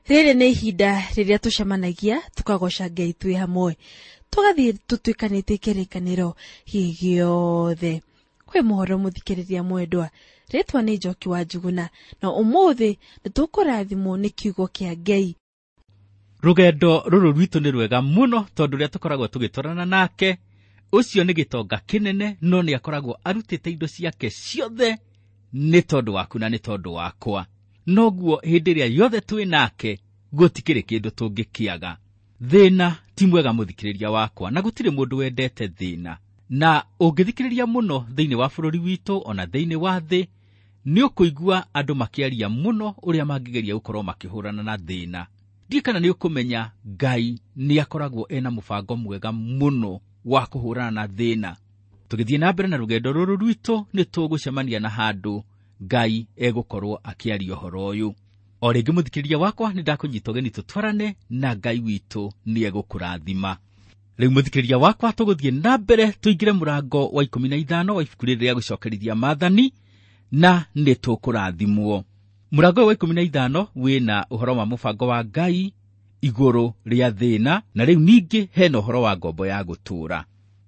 Rĩrĩ nĩ ihinda rĩrĩa tũcemanagia tũkagoca Ngai twĩ hamwe, tũgathiĩ tũtuĩkanĩtie kĩrĩkanĩro gĩothe. Kwĩ mũhoro mũthikĩrĩria mwendwa, rĩtwa nĩ Njoki wa Njuguna, na ũmũthĩ nĩ tũkũrathimwo nĩ kiugo kĩa Ngai. Rũgendo rũrũ rwitũ nĩ rwega mũno tondũ ũrĩa tũkoragwo tũgĩtwarana nake ũcio nĩ gĩtonga kĩnene, no nĩ akoragwo arutĩte indo ciake ciothe nĩ tondũ waku na nĩ tondũ wakwa. Noguo hĩndĩ ĩrĩa yothe twĩ nake gũtikĩrĩ kĩndũ tũngĩkĩaga. Thĩna ti mwega mũthikĩrĩria wakwa, na gũtirĩ mũndũ wendete thĩna. Na ũngĩthikĩrĩria mũno thĩinĩ wa bũrũri witũ ona thĩinĩ wa thĩ, nĩ ũkũigua andũ makĩaria mũno ũrĩa mangĩgeria gũkorwo makĩhũrana na thĩna. Ndiũĩ kana nĩ ũkũmenya Ngai nĩ akoragwo ena mũbango mwega mũno wa kũhũrana na thĩna. Tũgĩthiĩ na mbere na rũgendo rũrũ rwitũ nĩ tũgũcemania na handũ Ngai egũkorwo akĩaria ũhoro ũyũ. O rĩngĩ mũthikĩrĩria wakwa, nĩ ndakũnyita ũgeni tũtwarane na Ngai witũ nĩ egũkũrathima. Rĩu mũthikĩrĩria wakwa, tũgũthiĩ na mbere tũingĩre mũrango wa 15 wa ibuku rĩrĩ rĩa gũcokerithia maathani, na nĩ tũkũrathimwo. Mũrango wa 15 wĩna ũhoro wa mũbango wa Ngai igũrũ rĩa thĩna, na rĩu ningĩ hena ũhoro wa ngombo ya gũtũũra.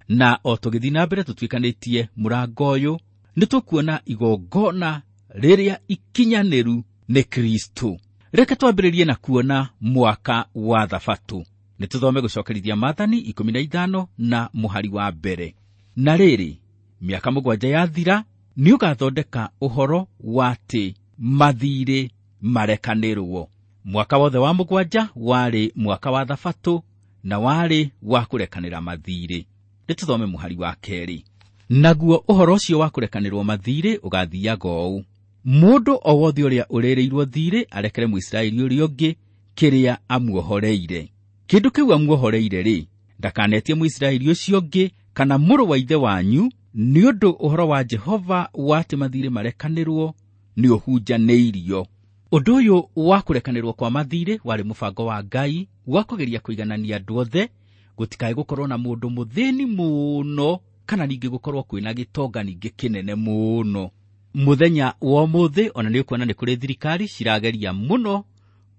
Na o tũgĩthiĩ na mbere tũtuĩkanĩtie mũrango ũyũ, nĩ tũkuona igongona rĩrĩa ikinyanĩru nĩ Kristo. Reke twambĩrĩrie na kuona mwaka wa Thabatũ. Nĩ tũthome gũcokerithia maathani 15 na mũhari wa mbere. Na rĩrĩ, mĩaka 7 yathira, nĩ ũgathondeka ũhoro wa atĩ mathiirĩ marekanĩrwo. Mwaka wothe wa 7 warĩ mwaka wa Thabatũ na warĩ wa kũrekanĩra mathiirĩ. Nĩ tũthome mũhari wa 2. Naguo ũhoro ũcio wa kũrekanĩrwo mathiirĩ ũgathiaga ũũ: mũndũ o wothe ũrĩa ũrĩrĩirwo thiirĩ arekere Mũisiraeli ũrĩa ũngĩ kĩrĩa amuohoreire. Kĩndũ kĩu amuohoreire rĩ, ndakanetie Mũisiraeli ũcio ũngĩ kana mũrũ wa ithe wanyu, nĩ ũndũ ũhoro wa Jehova wa atĩ mathiirĩ marekanĩrwo nĩ ũhunjanĩirio. Ũndũ ũyũ wa kũrekanĩrwo kwa mathiirĩ warĩ mũbango wa Ngai wa kũgeria kũiganania andũ othe, gũtikae gũkorwo na mũndũ mũthĩni mũno kana ningĩ gũkorwo kwĩna gĩtonga ningĩ kĩnene mũno. Mũthenya wa ũmũthĩ ona nĩ ũkuona nĩ kũrĩ thirikari cirageria mũno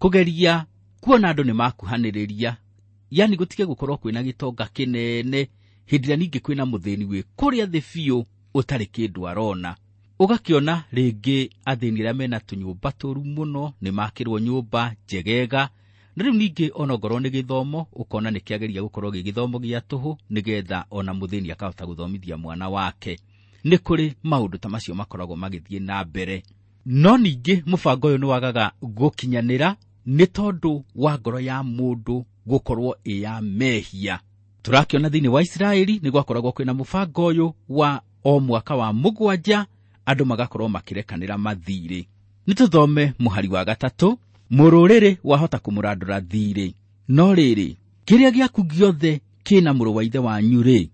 kũgeria kuona andũ nĩ makuhanĩrĩria, yani gũtige gũkorwo kwĩna gĩtonga kĩnene hĩndĩ ĩrĩa ningĩ kwĩna mũthĩni wĩ kũrĩa thĩ biũ ũtarĩ kĩndũ arona. Ũgakĩona rĩngĩ athĩni arĩa mena tũnyũmba tũru mũno nĩ makĩrwo nyũmba njegega, na rĩu ningĩ ona ongorwo nĩ gĩthomo ũkona nĩ kĩageria gũkorwo gĩ gĩthomo gĩa tũhũ nĩgetha ona mũthĩni akahota gũthomithia mwana wake. Nĩ kũrĩ maũndũ ta macio makoragwo magĩthiĩ na mbere. No ningĩ mũbango ũyũ nĩ wagaga gũkinyanĩra nĩ tondũ wa ngoro ya mũndũ gũkorwo ĩ ya mehia. Tũrakĩona thĩinĩ wa Isiraeli nĩ gwakoragwo kwĩna mũbango ũyũ wa o mwaka wa 7 andũ magakorwo makĩrekanĩra mathiirĩ. Nĩ tũthome mũhari wa 3. Mũrũrĩrĩ wahota kũmũrandũra thiirĩ, no rĩrĩ, kĩrĩa gĩaku gĩothe kĩna mũrũ wa ithe wanyu rĩ,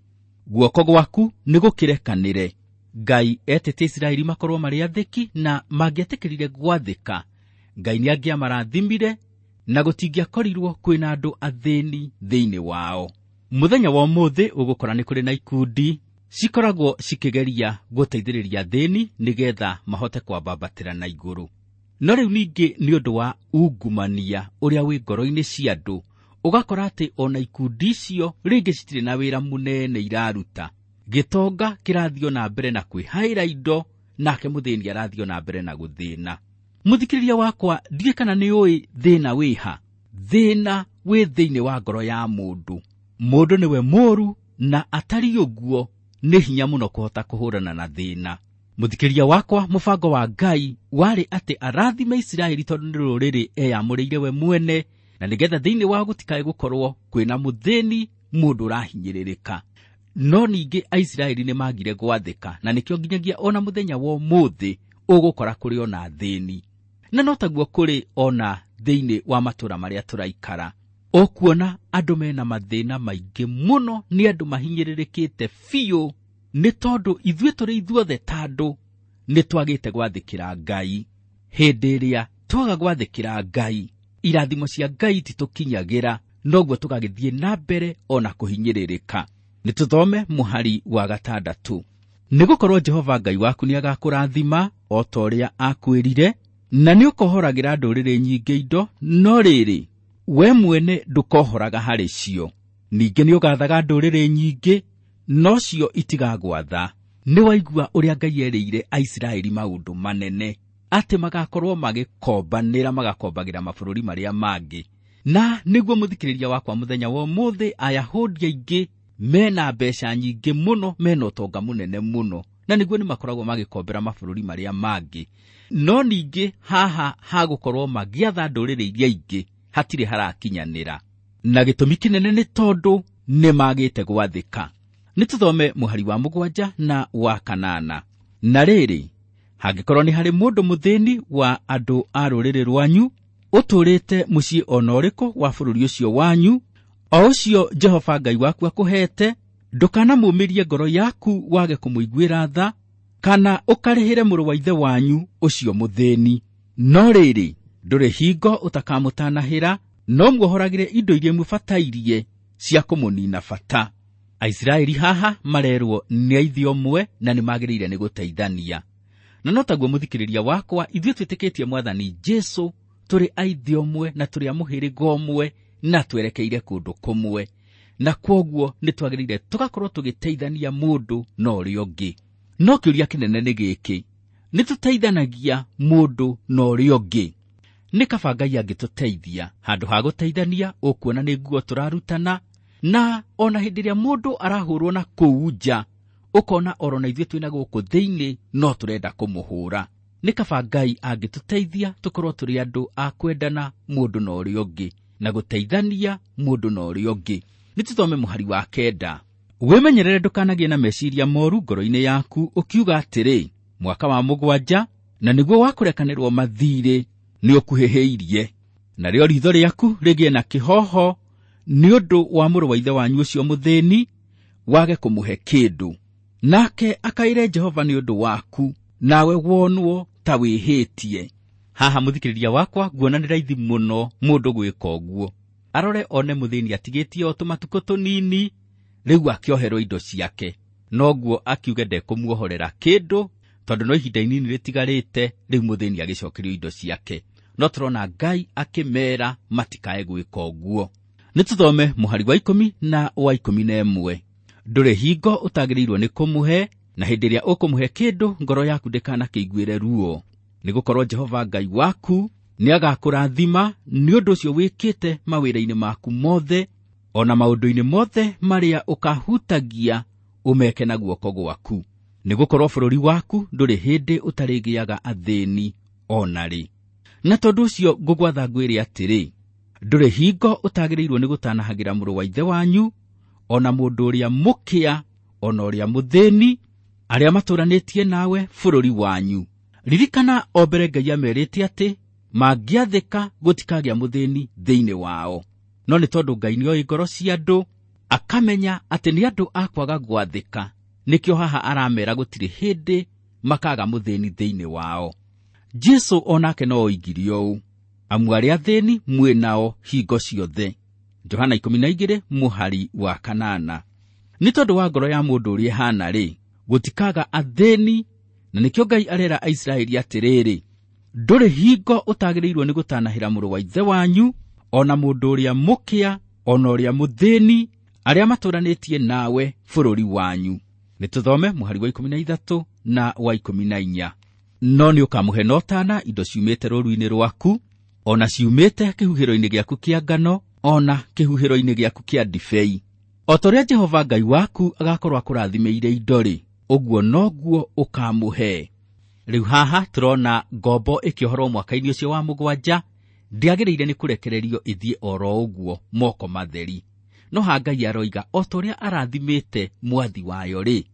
guoko gwaku nĩ gũkĩrekanĩre. Ngai etĩte Isiraeli makorwo marĩ athĩki, na mangĩetĩkĩrire gwathĩka, Ngai nĩ angĩamarathimire na gũtingĩakorirwo kwĩna andũ athĩni thĩinĩ wao. Mũthenya wa ũmũthĩ ũgũkora nĩ kũrĩ na ikundi cikoragwo cikĩgeria gũteithĩrĩria athĩni nĩgetha mahote kwambambatĩra na igũrũ. No rĩu ningĩ nĩ ũndũ wa ungumania ũrĩa wĩ ngoro-inĩ cia andũ, ũgakora atĩ ona ikundi icio rĩngĩ citirĩ na wĩra mũnene iraruta. Gĩtonga kĩrathiĩ na mbere na kwĩhaĩra indo, nake mũthĩni arathiĩ na mbere na gũthĩna. Mũthikĩrĩria wakwa, ndiũĩ kana nĩ ũĩ thĩna wĩha. Thĩna wĩ thĩinĩ wa ngoro ya mũndũ. Mũndũ nĩwe mũũru, na atariĩ ũguo nĩ hinya mũno kũhota kũhũrana na thĩna. Mũthikĩrĩria wakwa, mũbango wa Ngai warĩ atĩ arathime Isiraeli tondũ nĩ rũrĩrĩ eyamũrĩire we mwene, na nĩgetha thĩinĩ wao gũtikae gũkorwo kwĩna mũthĩni mũndũ ũrahinyĩrĩrĩka. No ningĩ Aisiraeli nĩ magire gwathĩka, na nĩkĩo nginyagia ona mũthenya wa ũmũthĩ ũgũkora kũrĩ ona athĩni. Na no taguo kũrĩ ona thĩinĩ wa matũũra marĩa tũraikara. Ũkuona andũ mena mathĩna maingĩ mũno, nĩ andũ mahinyĩrĩrĩkĩte biũ, nĩ tondũ ithuĩ tũrĩ ithuothe ta andũ nĩ twagĩte gwathĩkĩra Ngai. Hĩndĩ ĩrĩa twaga gwathĩkĩra Ngai, irathimo cia Ngai ititũkinyagĩra, noguo tũgagĩthiĩ na mbere ona kũhinyĩrĩrĩka. Nĩ tũthome mũhari wa 6. Nĩ gũkorwo Jehova Ngai waku nĩ agakũrathima o ta ũrĩa akwĩrire, Na nĩ ũkohoragĩra ndũrĩrĩ nyingĩ indo, no rĩrĩ, we mwene ndũkohoraga harĩ cio. Ningĩ nĩ ũgaathaga ndũrĩrĩ nyingĩ, no cio itigagwatha. Nĩ waigua ũrĩa Ngai erĩire Aisiraeli maũndũ manene, atĩ magakorwo magĩkombanĩra, magakombagĩra mabũrũri marĩa mangĩ. Na nĩguo mũthikĩrĩria wakwa mũthenya wa ũmũthĩ, Ayahudi aingĩ mena mbeca nyingĩ mũno, mena ũtonga mũnene mũno, na nĩguo nĩ makoragwo magĩkombera mabũrũri marĩa mangĩ. No ningĩ haha hagũkorwo magĩatha ndũrĩrĩ iria ingĩ hatirĩ harakinyanĩra, na gĩtũmi kĩnene nĩ tondũ nĩ magĩte gwathĩka. Nĩ tũthome mũhari wa 7 na wa 8. Na rĩrĩ, hangĩkorwo nĩ harĩ mũndũ mũthĩni wa andũ a rũrĩrĩ rwanyu ũtũũrĩte mũciĩ ona ũrĩkũ wa bũrũri ũcio wanyu, o ũcio Jehova Ngai waku akũheete, ndũkanamũũmĩrie ngoro yaku wage kũmũiguĩra tha, kana ũkarĩhĩre mũrũ wa ithe wanyu ũcio mũthĩni. No rĩrĩ, ndũrĩ hingo ũtakamũtanahĩra, no muohoragĩre indo iria imũbatairie cia kũmũnina bata. Aisiraeli haha marerwo nĩ aithe ũmwe na nĩ magĩrĩire nĩ gũteithania. Na no taguo mũthikĩrĩria wakwa, ithuĩ twĩtĩkĩtie Mwathani Jesũ tũrĩ aithe ũmwe na tũrĩ a mũhĩrĩga ũmwe na twerekeire kũndũ kũmwe, na kwoguo nĩ twagĩrĩire tũgakorwo tũgĩteithania mũndũ na ũrĩa ũngĩ. No kĩũria kĩnene nĩ gĩkĩ, nĩ tũteithanagia mũndũ na ũrĩa ũngĩ? Nĩ kaba Ngai angĩtũteithia handũ ha gũteithania, ũkuona nĩ nguo tũrarutana, na ona hĩndĩ ĩrĩa mũndũ arahũrwo na kũu nja, ũkona oro na ithuĩ twĩna gũkũ thĩinĩ no tũrenda kũmũhũra. Nĩ kaba Ngai angĩtũteithia tũkorwo tũrĩ andũ a kwendana mũndũ na ũrĩa ũngĩ, na gũteithania mũndũ na ũrĩa ũngĩ. Nĩ tũthome mũhari wa 9. Wĩmenyerere ndũkanagĩe na meciria moru ngoro-inĩ yaku, ũkiuga atĩrĩ, mwaka wa 7 na nĩguo wa kũrekanĩrwo mathirĩ nĩ ũkuhĩhĩirie, narĩo ritho rĩaku rĩgĩe na kĩhoho nĩ ũndũ wa mũrũ wa ithe wanyu ũcio mũthĩni, wage kũmũhe kĩndũ. Nake akaĩre Jehova nĩ ũndũ waku, nawe wonwo ta wĩhĩtie. Haha mũthikĩrĩria wakwa, nguona nĩ raithi mũno mũndũ gwĩka ũguo. Arore one mũthĩni atigĩtie o tũmatukũ tũnini, rĩu akĩoherwo indo ciake, noguo akiuge ndekũmuohorera kĩndũ, tondũ no ihinda inini rĩtigarĩte, rĩu mũthĩni agĩcokerio indo ciake. No tũrona Ngai akĩmera matikae gwĩka ũguo. Nĩ tũthome mũhari wa 10 na wa 11. Ndũrĩ hingo ũtagĩrĩirwo nĩ kũmũhe, na hĩndĩ ĩrĩa ũkũmũhe kĩndũ ngoro yaku ndĩkanakĩiguĩre ruo, nĩgũkorwo Jehova Ngai waku nĩagakũrathima nĩ ũndũ ũcio wĩkĩte mawĩra-inĩ maku mothe, ona maũndũ-inĩ mothe marĩa ũkahutagia ũmeke na guoko gwaku, nĩgũkorwo bũrũri waku ndũrĩ hĩndĩ ũtarĩgĩaga athĩni ona rĩ. Na tondũ ũcio ngũgwatha ngwĩre atĩrĩ, ndũrĩ hingo ũtagĩrĩirwo nĩ gũtanahagĩra mũrũ wa ithe wanyu, ona mũndũ ũrĩa mũkĩa, ona ũrĩa mũthĩni, arĩa matũranĩtie nawe bũrũri wanyu. Ririkana o mbere Ngai amerĩte atĩ mangĩathĩka gũtikagĩa mũthĩni thĩinĩ wao. No nĩ tondũ Ngai nĩoĩ ngoro cia andũ, akamenya atĩ nĩ andũ a kwaga gwathĩka, nĩkĩo haha aramera gũtirĩ hĩndĩ makaga mũthĩni thĩinĩ wao. Jesũ onake no oigire ũũ, amu arĩa athĩni mwĩ nao hingo ciothe. Johana 12 mũhari wa 8. Nĩ tondũ wa ngoro ya mũndũ ũrĩa ĩhana rĩ, gũtikaga athĩni, na nĩkĩo Ngai arera Aisiraeli atĩrĩrĩ, ndũrĩ hingo ũtagĩrĩirwo nĩ gũtanahĩra mũrũ wa ithe wanyu, ona mũndũ ũrĩa mũkĩa, ona ũrĩa mũthĩni, arĩa matũranĩtie nawe bũrũri wanyu. Nĩ tũthome mũhari wa 13 na wa 14. No nĩ ũkamũhe na ũtana indo ciumĩte rũũru-inĩ rwaku, ona ciumĩte kĩhuhĩro-inĩ gĩaku kĩa ngano, ona kĩhuhĩro-inĩ gĩaku kĩa ndibei. O ta ũrĩa Jehova Ngai waku agakorwo akũrathimĩire indo-rĩ, ũguo noguo ũkamũhe. Rĩu haha tũrona ngombo ĩkĩohorwo mwaka-inĩ ũcio wa 7, ndĩagĩrĩire nĩ kũrekererio ĩthiĩ oro ũguo moko matheri. No haha Ngai aroiga o ta ũrĩa arathimĩte mwathi wayo rĩ,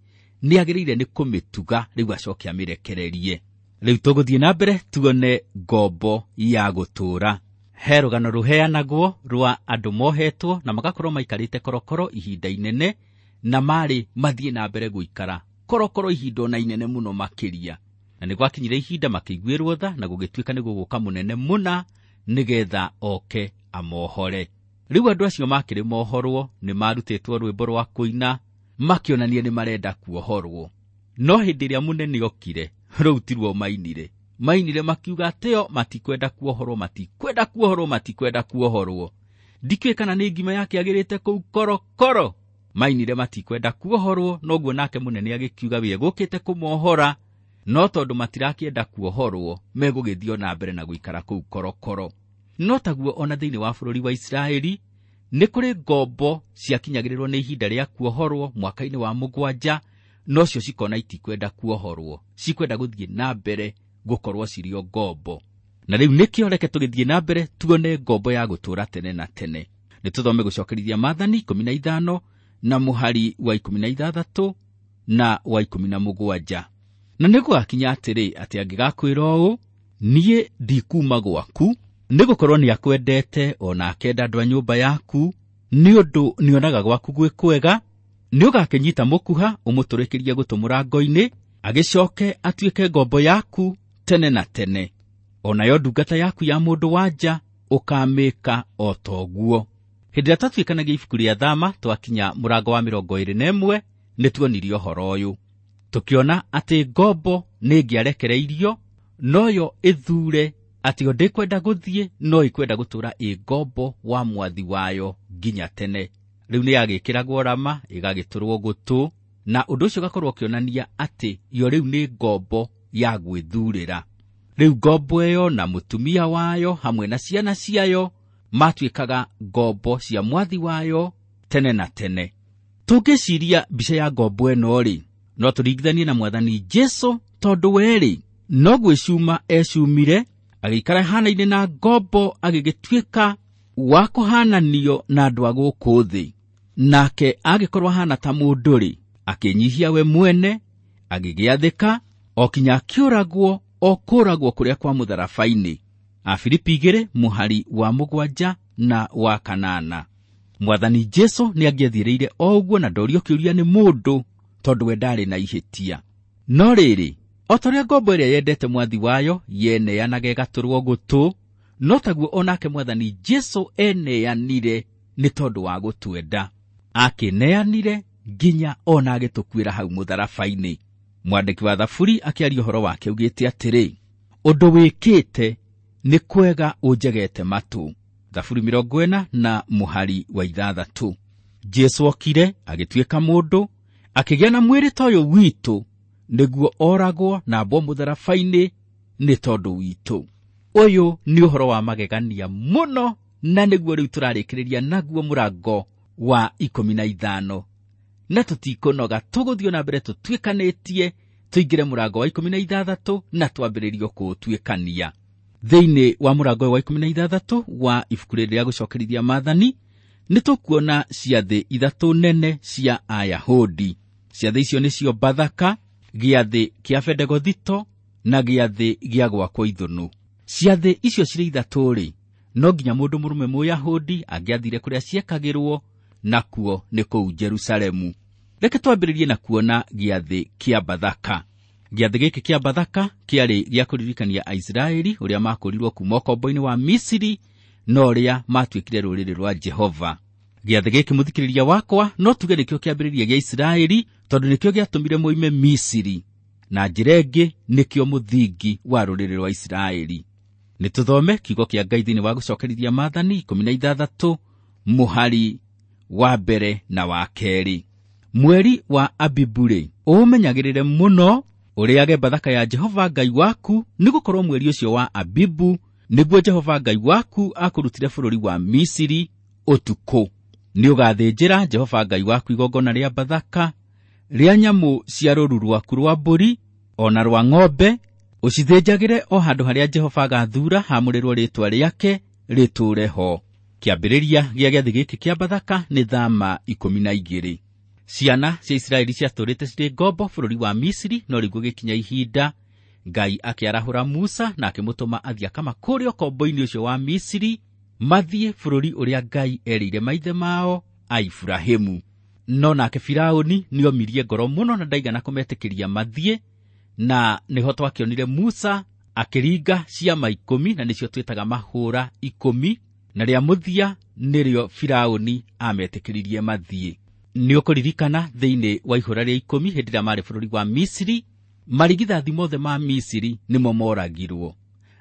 nĩagĩrĩire nĩ kũmĩtuga rĩu acoke amĩrekererie. Rĩu tũgũthiĩ na mbere tuone ngombo ya gũtũũra. He rũgano rũheanagwo rwa andũ mohetwo na magakorwo maikarĩte korokoro ihinda inene, na marĩ mathiĩ na mbere gũikara korokoro ihinda ona inene mũno makĩria. Na nĩ gwakinyire ihinda makĩiguĩrwo tha, na gũgĩtuĩka nĩ gũgũka mũnene mũna nĩgetha oke amohore. Rĩu andũ acio makĩrĩ mohorwo nĩ marutĩtwo rwĩmbo rwa kũina makĩonania nĩ marenda kuohorwo. No hĩndĩ ĩrĩa mũnene okire, rũu ti ruo mainire. Mainire makiuga atĩo matikwenda kuohorwo, matikwenda kuohorwo, matikwenda kuohorwo. Ndikĩũĩ kana nĩ ngima yakĩagĩrĩte kũu korokoro. Mainire matikwenda kuohorwo, noguo nake mũnene agĩkiuga we egũkĩte kũmohora, no tondũ matirakĩenda kuohorwo megũgĩthiĩ na mbere na gũikara kũu korokoro. No taguo ona thĩinĩ wa bũrũri wa Isiraeli nĩ kũrĩ ngombo ciakinyagĩrĩrwo nĩ ihinda rĩa kuohorwo mwaka-inĩ wa 7, nocio cikona itikwenda kuohorwo, cikwenda gũthiĩ na mbere gũkorwo cirĩ o ngombo. Na rĩu nĩkĩo reke tũgĩthiĩ na mbere tuone ngombo ya gũtũũra tene na tene. Nĩ tũthome gũcokerithia Maathani 15 na mũhari wa 16 na wa 17. Na nĩ gũgakinya atĩrĩ, atĩ angĩgakwĩra ũũ, niĩ ndikuuma gwaku, nĩ gũkorwo nĩ akwendete o na akenda andũ a nyũmba yaku, nĩ ũndũ nĩonaga gwaku gwĩ kwega, nĩ ũgakĩnyita mũkuha ũmũtũrĩkĩrie gũtũ mũrango-inĩ, agĩcoke atuĩke ngombo yaku tene na tene. O nayo ndungata yaku ya mũndũ wa nja ũkamĩka o toguo. Hĩndĩ ĩrĩa twatuĩkanagia ibuku rĩa Thama twakinya mũrango wa 21, nĩ tuonirie ũhoro ũyũ. Tũkĩona atĩ ngombo nĩ ĩngĩarekereirio, noyo ĩthure atĩ o ndĩkwenda gũthiĩ, no ĩkwenda gũtũũra ĩ ngombo wa mwathi wayo nginya tene. Rĩu nĩ yagĩkĩragwo rama, ĩgagĩtũrwo gũtũ, na ũndũ ũcio ũgakorwo ũkĩonania atĩ yo rĩu nĩ ngombo ya gwĩthurĩra. Rĩu ngombo ĩyo na mũtumia wayo hamwe na ciana ciayo matuĩkaga ngombo cia mwathi wayo tene na tene. Tũngĩciria mbica ya ngombo ĩno rĩ, no tũringithanie na Mwathani Jesũ, tondũ we rĩ, no gwĩcuma ecumire, agĩikara hanaine na ngombo, agĩgĩtuĩka wa kũhananio na andũ a gũkũ thĩ. Nake agĩkorwo ahana ta mũndũ rĩ, akĩnyihia we mwene, agĩgĩathĩka, o kinya akĩũragwo, o kũragwo kũrĩa kwa mũtharaba-inĩ. Afilipi 2 mũhari wa 7 na wa 8. Mwathani Jesũ nĩ angĩathiĩrĩire o ũguo na ndorio kĩũria nĩ mũndũ, tondũ we ndarĩ na ihĩtia. No rĩrĩ, o ta ũrĩa ngombo ĩrĩa yendete mwathi wayo yeneanaga ĩgatũrwo gũtũ, no taguo o nake Mwathani Jesũ eneanire nĩ tondũ wa gũtwenda. Akĩneanire nginya ona agĩtũkuĩra hau mũtharaba-inĩ. Mwandĩki wa Thaburi akĩaria ũhoro wake augĩte atĩrĩ, ũndũ wĩkĩte nĩ kwega ũnjegete matũ. Thaburi 40 na mũhari wa 6. Jesũ okire agĩtuĩka mũndũ, akĩgĩa na mwĩrĩ ta ũyũ witũ, nĩguo oragwo na ambwo mũtharaba-inĩ nĩ tondũ witũ. Ũyũ nĩ ũhoro wa magegania mũno, na nĩguo rĩu tũrarĩkĩrĩria naguo mũrango wa 15. Na tũtikũnoga, tũgũthiĩ na mbere tũtuĩkanĩtie, tũingĩre mũrango wa 16 na twambĩrĩrie kũũtuĩkania. Thĩinĩ wa mũrango wa 16 wa ibuku rĩrĩ rĩa gũcokerithia Maathani, nĩ tũkuona ciathĩ 3 nene cia Ayahudi. Ciathĩ icio nĩcio Bathaka, gĩathĩ kĩa Bendegothito na gĩathĩ gĩa Gwakwo Ithũnũ. Ciathĩ icio cirĩ 3 rĩ, no nginya mũndũ mũrũme Mũyahudi angĩathire kũrĩa ciekagĩrwo, nakuo nĩ kũu Jerusalemu. Reke twambĩrĩrie na kuona gĩathĩ kĩa Bathaka. Gĩathĩ gĩkĩ kĩa Bathaka kĩarĩ gĩa kũririkania Aisiraeli ũrĩa makũrirwo kuma ũkombo-inĩ wa Misiri, na ũrĩa matuĩkire rũrĩrĩ rwa Jehova. Gĩathĩ gĩkĩ mũthikĩrĩria wakwa no tuge nĩkĩo kĩambĩrĩria gĩa Isiraeli, tondũ nĩkĩo gĩatũmire moime Misiri, na njĩra ĩngĩ nĩkĩo mũthingi wa rũrĩrĩ rwa Isiraeli. Nĩ tũthome kiugo kĩa Ngai thĩinĩ wa gũcokerithia Maathani 16 mũhari wa 1 na wa 2. Mweri wa Abibu-rĩ, ũũmenyagĩrĩre mũno, ũrĩage Bathaka ya Jehova Ngai waku, nĩgũkorwo mweri ũcio wa Abibu nĩguo Jehova Ngai waku akũrutire bũrũri wa Misiri ũtukũ. Nĩ ũgathĩnjĩra Jehova Ngai waku igongona rĩa Bathaka rĩa nyamũ cia rũũru rwaku rwa mbũri o na rwa ng'ombe, ũcithĩnjagĩre o handũ harĩa Jehova agathuura haamũrĩrwo rĩĩtwa rĩake rĩtũũre ho. Kĩambĩrĩria gĩa gĩathĩ gĩkĩ kĩa Bathaka nĩ Thama 12. Ciana cia Isiraeli ciatũũrĩte cirĩ ngombo bũrũri wa Misiri, no rĩu gũgĩkinya ihinda Ngai akĩarahũra Musa na akĩmũtũma athiĩ akamakũũre ũkombo-inĩ ũcio wa Misiri, mathiĩ bũrũri ũrĩa Ngai erĩire maithe mao a Iburahĩmu. No nake Firaũni nĩomirie ngoro mũno na ndaigana kũmetĩkĩria mathiĩ, na nĩho twakĩonire Musa akĩringa ciama 10, na nĩcio twĩtaga mahũra 10, na rĩa mũthia nĩrĩo Firaũni ametĩkĩririe mathiĩ. Nĩ ũkũririkana thĩinĩ wa ihũra rĩa 10 hĩndĩ ĩrĩa marĩ bũrũri wa Misiri, Marigithathi mothe ma Misiri nĩmo moragirwo.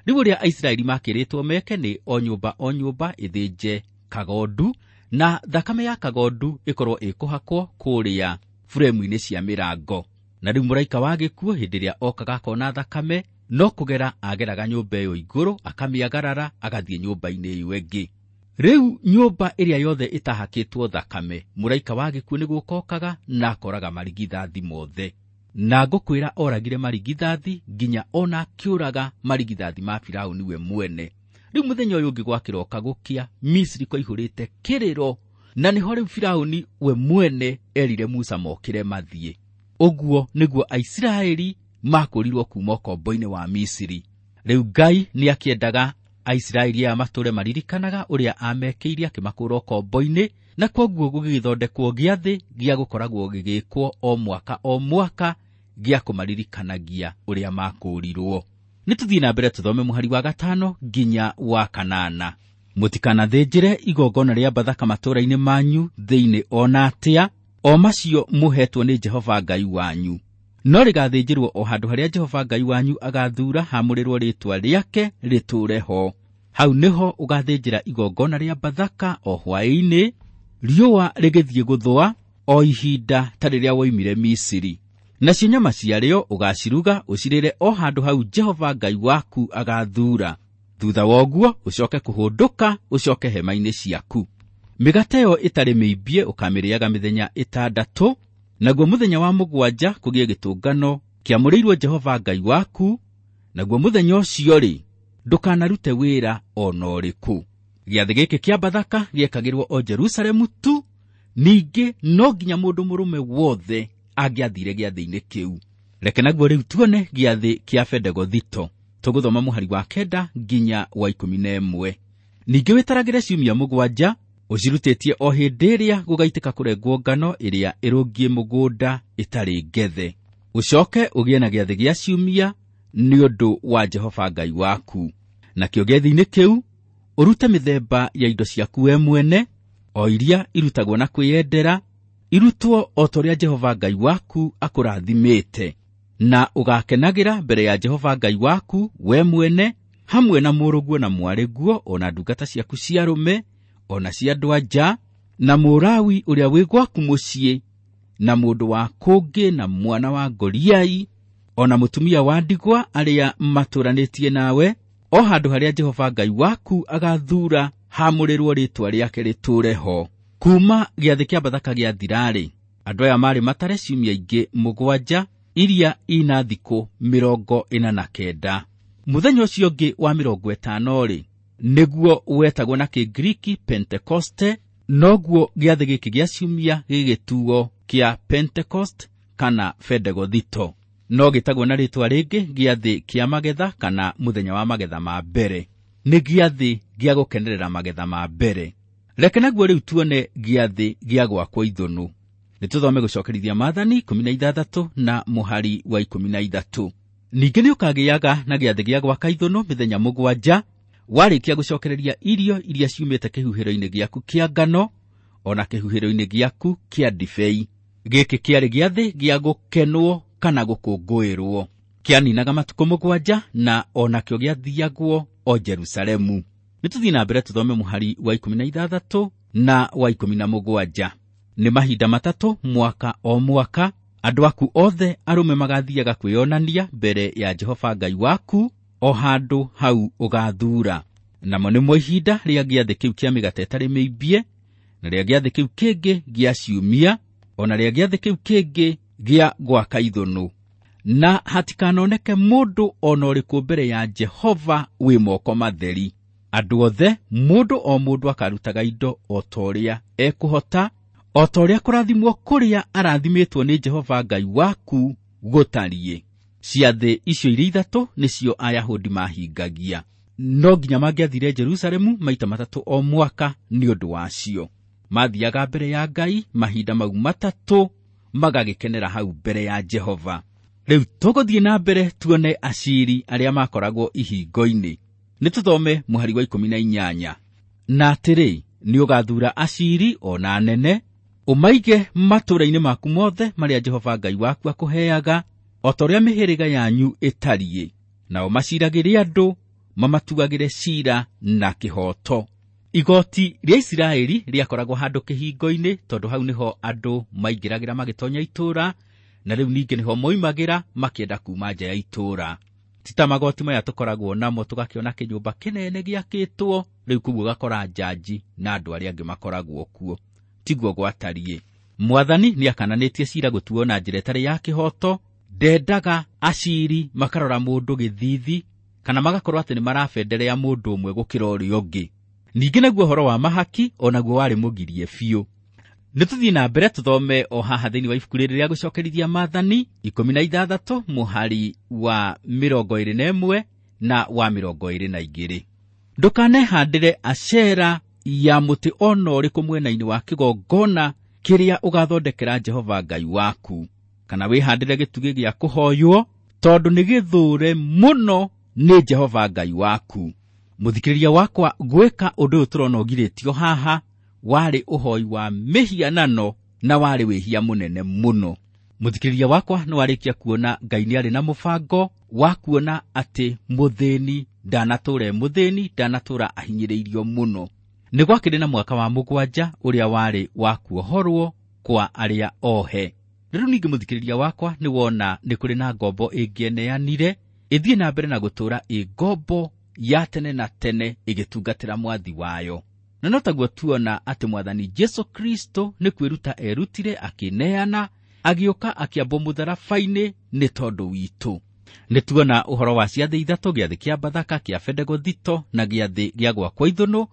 Rĩu ũrĩa Aisiraeli makĩrĩtwo meke nĩ o nyũmba o nyũmba ĩthĩnje kagondu, na thakame ya kagondu ĩkorwo ĩkũhakwo kũrĩa buremu-inĩ cia mĩrango. Na rĩu mũraika wa gĩkuũ hĩndĩ ĩrĩa okaga akona thakame, no kũgera ageraga nyũmba ĩyo igũrũ, akamĩagarara, agathiĩ nyũmba-inĩ ĩyo ĩngĩ. Rĩu nyũmba ĩrĩa yothe ĩtahakĩtwo thakame, mũraika wa gĩkuũ nĩ gũkokaga na akoraga marigithathi mothe. Na ngũkwĩra oragire marigithathi nginya ona akĩũraga marigithathi ma Firaũni we mwene. Rĩu mũthenya ũyũ ũngĩ gwakĩroka gũkĩa, Misiri kwaihũrĩte kĩrĩro, na nĩho rĩu Firaũni we mwene erire Musa mokĩre mathiĩ. Ũguo nĩguo Aisiraeli makũrirwo kuma ũkombo-inĩ wa Misiri. Rĩu Ngai nĩ akĩendaga Aisiraeli aya matũre maririkanaga ũrĩa amekĩire akĩmakũra ũkombo-inĩ, na kwoguo gũgĩthondekwo gĩathĩ gĩa gũkoragwo gĩgĩkwo o mwaka o mwaka gĩa kũmaririkanagia ũrĩa makũrirwo. Nĩ tũthiĩ na mbere tũthome mũhari wa 5 nginya wa 8. Mũtikanathĩnjĩre igongona rĩa Bathaka matũũra-inĩ manyu thĩinĩ ona atĩa, o macio mũhetwo nĩ Jehova Ngai wanyu. No rĩgathĩnjĩrwo o handũ harĩa Jehova Ngai wanyu agathuura haamũrĩrwo rĩĩtwa rĩake rĩtũũre ho. Hau nĩho ũgathĩnjĩra igongona rĩa Bathaka o hwaĩ-inĩ, riũa rĩgĩthiĩ gũthũa, o ihinda ta rĩrĩa woimire Misiri. Nacio nyama ciarĩo ũgaciruga ũcirĩre o handũ hau Jehova Ngai waku agathuura. Thutha wa ũguo ũcoke kũhũndũka ũcoke hema-inĩ ciaku. Mĩgate ĩyo ĩtarĩ mĩimbie ũkamĩrĩaga mĩthenya 6, naguo mũthenya wa 7 kũgĩe gĩtũngano kĩamũrĩirwo Jehova Ngai waku, naguo mũthenya ũcio-rĩ ndũkanarute wĩra o na ũrĩkũ. Gĩathĩ gĩkĩ kĩa Bathaka gĩekagĩrwo o Jerusalemu tu, ningĩ no nginya mũndũ mũrũme wothe angĩathire gĩathĩ-inĩ kĩu. Reke naguo rĩu tuone gĩathĩ kĩa Bendegothito. Tũgũthoma mũhari wa 9 nginya wa 11. Ningĩ wĩtaragĩre ciumia 7, ũcirutĩtie o hĩndĩ ĩrĩa gũgaitĩka kũrengwo ngano ĩrĩa ĩrũngiĩ mũgũnda ĩtarĩ ngethe. Ũcoke ũgĩe na gĩathĩ gĩa ciumia nĩ ũndũ wa Jehova Ngai waku. Nakĩo gĩathĩ-inĩ kĩu ũrute mĩthemba ya indo ciaku we mwene, o iria irutagwo na kwĩyendera, irutwo o ta ũrĩa Jehova Ngai waku akũrathimĩte, na ũgakenagĩra mbere ya Jehova Ngai waku we mwene, hamwe na mũrũguo na mwarĩguo, o na ndungata ciaku cia arũme, o na cia andũ-a-nja, na Mũlawi ũrĩa wĩ gwaku mũciĩ, na mũndũ wa kũngĩ, na mwana wa ngoriai, o na mũtumia wa ndigwa arĩa matũranĩtie nawe, o handũ harĩa Jehova Ngai waku agathuura haamũrĩrwo rĩĩtwa rĩake rĩtũũre ho. Kuma gĩathĩ kĩa Bathaka gĩathira-rĩ, andũ aya marĩ matare ciumia ingĩ 7 iria ina thikũ 49. Mũthenya ũcio ũngĩ wa 50-rĩ, nĩguo wetagwo na Kĩngiriki Pentekoste, noguo gĩathĩ gĩkĩ gĩa ciumia gĩgĩtuo kĩa Pentecost kana Bendegothito. No gĩtagwo na rĩĩtwa rĩngĩ gĩathĩ kĩa magetha kana mũthenya wa magetha ma mbere. Nĩ gĩathĩ gĩa gũkenerera magetha ma mbere. Reke naguo rĩu tuone gĩathĩ gĩa gwakwo ithũnũ. Nĩ tũthome gũcokerithia Maathani 16 na mũhari wa 13. Ningĩ nĩ ũkagĩaga na gĩathĩ gĩa gwaka ithũnũ mĩthenya 7, warĩkia gũcokereria irio iria ciumĩte kĩhuhĩro-inĩ gĩaku kĩa ngano, o na kĩhuhĩro-inĩ gĩaku kĩa ndibei. Gĩkĩ kĩarĩ gĩathĩ gĩa gũkenwo kana gũkũngũĩrwo. Kĩaninaga matukũ 7, na o nakĩo gĩathiagwo o Jerusalemu. Nĩ tũthiĩ na mbere tũthome mũhari wa 16 na wa 17. Nĩ mahinda 3 mwaka o mwaka, andũ aku othe arũme magathiaga kwĩonania mbere ya Jehova Ngai waku o handũ hau ũgathuura. Namo nĩmo ihinda rĩa gĩathĩ kĩu kĩa mĩgate ĩtarĩ mĩimbie, na rĩa gĩathĩ kĩu kĩngĩ gĩa ciumia, o na rĩa gĩathĩ kĩu kĩngĩ gĩa gwaka ithũnũ. Na hatikanoneke mũndũ o na ũrĩkũ mbere ya Jehova wĩ moko matheri. Andũ othe, mũndũ o mũndũ akarutaga indo o ta ũrĩa ekũhota, o ta ũrĩa kũrathimwo kũrĩa arathimĩtwo nĩ Jehova Ngai waku gũtariĩ. Ciathĩ icio iria 3 nĩcio Ayahudi mahingagia. No nginya mangĩathire Jerusalemu maita 3 o mwaka nĩ ũndũ wacio. Mathiaga mbere ya Ngai mahinda mau 3, magagĩkenera hau mbere ya Jehova. Rĩu tũgũthiĩ na mbere tuone aciri arĩa makoragwo ihingo-inĩ. Nĩ tũthome mũhari wa 18. Na atĩrĩ, nĩ ũgathuura aciri o na anene, ũmaige matũũra-inĩ maku mothe marĩa Jehova Ngai waku akũheaga, o ta ũrĩa mĩhĩrĩga yanyu ĩtariĩ, nao maciragĩre andũ, mamatuagĩre ciira na kĩhooto. Igoti rĩa Isiraeli rĩakoragwo handũ kĩhingo-inĩ, tondũ hau nĩho andũ maingĩragĩra magĩtonya itũũra, na rĩu ningĩ nĩho moimagĩra makĩenda kuuma nja ya itũũra. Ti ta magoti maya tũkoragwo namo tũgakĩona kĩnyũmba kĩnene gĩakĩtwo, rĩu kũu ũgakora njanji na andũ arĩa angĩ makoragwo kuo. Tiguo gwatariĩ. Mwathani nĩakananĩtie ciira gũtuo na njĩra ĩtarĩ ya kĩhooto, ndendaga aciri makarora mũndũ gĩthithi kana magakorwo atĩ nĩmarabenderea mũndũ ũmwe gũkĩra ũrĩa ũngĩ. Ningĩ naguo ũhoro wa mahaki onaguo warĩ mũgirie biũ. Nĩ tũthiĩ na mbere tũthome o haha thĩinĩ wa ibuku rĩrĩ rĩa gũcokerithia maathani 16 mũhari wa 21 na wa 22. Ndũkanehandĩre Ashera ya mũtĩ ona ũrĩkũ mwena-inĩ wa kĩgongona kĩrĩa ũgathondekera Jehova Ngai waku, kana wĩhandĩre gĩtugĩ gĩa kũhoywo, tondũ nĩ gĩthũre mũno nĩ Jehova Ngai waku. Mũthikĩrĩria wakwa, gwĩka ũndũ ũyũ tũrona ũgirĩtio haha warĩ ũhoi wa mĩhianano na warĩ wĩhia mũnene mũno. Mũthikĩrĩria wakwa, nĩ warĩkia kuona Ngai nĩ arĩ na mũbango wa kuona atĩ mũthĩni ndanatũra e mũthĩni, ndanatũra ahinyĩrĩirio mũno. Nĩ gwakĩrĩ na mwaka wa 7 ũrĩa warĩ wa kuohorwo kwa arĩa ohe. Rĩu ningĩ mũthikĩrĩria wakwa, nĩ wona nĩ kũrĩ na ngombo ĩngĩeneanire ĩthiĩ na mbere na gũtũũra ĩ ngombo ya tene na tene ĩgĩtungatĩra mwathi wayo. Na no taguo tuona atĩ Mwathani Jesu Kristo nĩ kwĩruta erutire akĩneana, agĩũka akĩambwo mũtharaba-inĩ nĩ tondũ witũ. Nĩ tuona ũhoro wa ciathĩ 3, gĩathĩ kĩa Bathaka, kĩa Bendegothito na gĩathĩ gĩa Gwakwo Ithũnũ,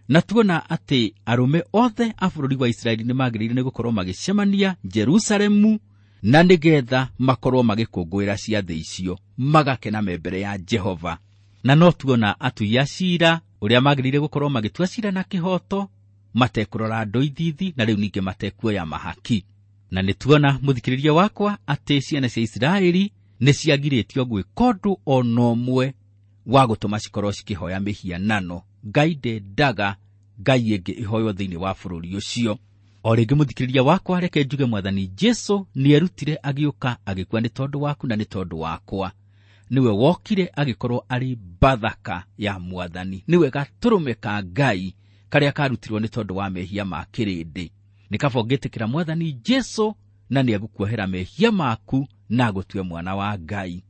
na tuona atĩ arũme othe a bũrũri wa Isiraeli nĩ magĩrĩire nĩ gũkorwo magĩcemania Jerusalemu, na nĩgetha makorwo magĩkũngũĩra ciathĩ icio, magakena me mbere ya Jehova. Na no tuona atui a ciira ũrĩa magĩrĩire gũkorwo magĩtua ciira na kĩhooto, matekũrora andũ ithithi, na rĩu ningĩ matekuoya mahaki. Na nĩ tuona mũthikĩrĩria wakwa atĩ ciana cia Isiraeli nĩ ciagirĩtio gwĩka ũndũ ona ũmwe wa gũtũma cikorwo cikĩhoya mĩhianano. Ngai ndendaga ngai ĩngĩ ĩhoywo thĩinĩ wa bũrũri ũcio. O rĩngĩ mũthikĩrĩria wakwa, reke njuge Mwathani Jesu nĩerutire agĩũka agĩkua nĩ tondũ waku na nĩ tondũ wakwa. Nĩwe wokire agĩkorwo arĩ Bathaka ya Mwathani, nĩwe gatũrũme ka Ngai karĩa karutirwo nĩ tondũ wa mehia ma kĩrĩndĩ. Nĩ kaba ũngĩtĩkĩra Mwathani Jesu na nĩegũkuohera mehia maku na agũtue mwana wa Ngai.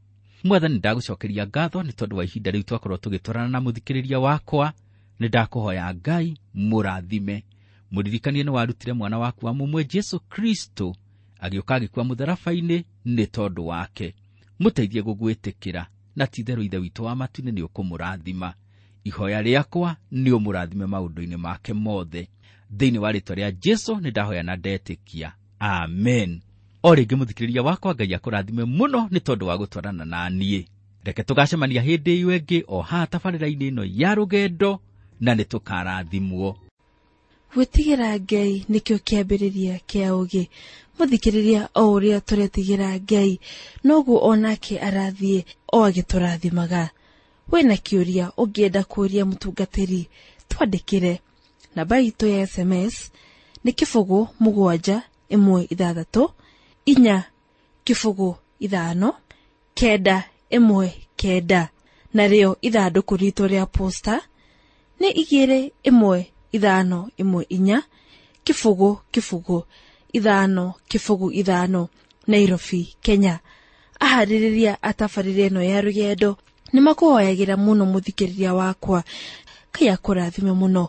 Mwathani, ndagũcokeria ngatho nĩ tondũ wa ihinda rĩu twakorwo tũgĩtwarana na mũthikĩrĩria wakwa. Nĩ ndakũhoya Ngai mũrathime, mũririkanie nĩ warutire mwana waku wa mũmwe Jesu Kristo agĩũka agĩkua mũtharaba-inĩ nĩ tondũ wake. Mũteithie gũgwĩtĩkĩra, na ti-itherũ Ithe witũ wa matu-inĩ nĩ ũkũmũrathima. Ihoya rĩakwa nĩ ũmũrathime maũndũ-inĩ make mothe. Thĩinĩ wa rĩĩtwa rĩa Jesu nĩ ndahoya na ndetĩkia, amen. O rĩngĩ mũthikĩrĩria wakwa, Ngai akũrathime mũno nĩ tondũ wa gũtwarana na niĩ. Reke tũgacemania hĩndĩ ĩyo ĩngĩ o haha tabarĩra-inĩ ĩno ya rũgendo, na nĩ tũkarathimwo. Gwĩtigĩra Ngai nĩkĩo kĩambĩrĩria kĩa ũũgĩ. Mũthikĩrĩria, o ũrĩa tũretigĩra Ngai noguo onake arathiĩ o agĩtũrathimaga. Wĩna kĩũria ũngĩenda kũũria mũtungatĩri, twandĩkĩre. Namba itũ ya SMS nĩ 0 7 1 6 4 0 5 9 1 9, narĩo ithandũkũ ritũ rĩa posta nĩ 2 1 5 1 4 0 0 5 0 5, Nairobi, Kenya. Aharĩrĩria a tabarĩra ĩno ya rũgendo nĩ makũhoyagĩra mũno mũthikĩrĩria wakwa. Ngai akũrathime mũno.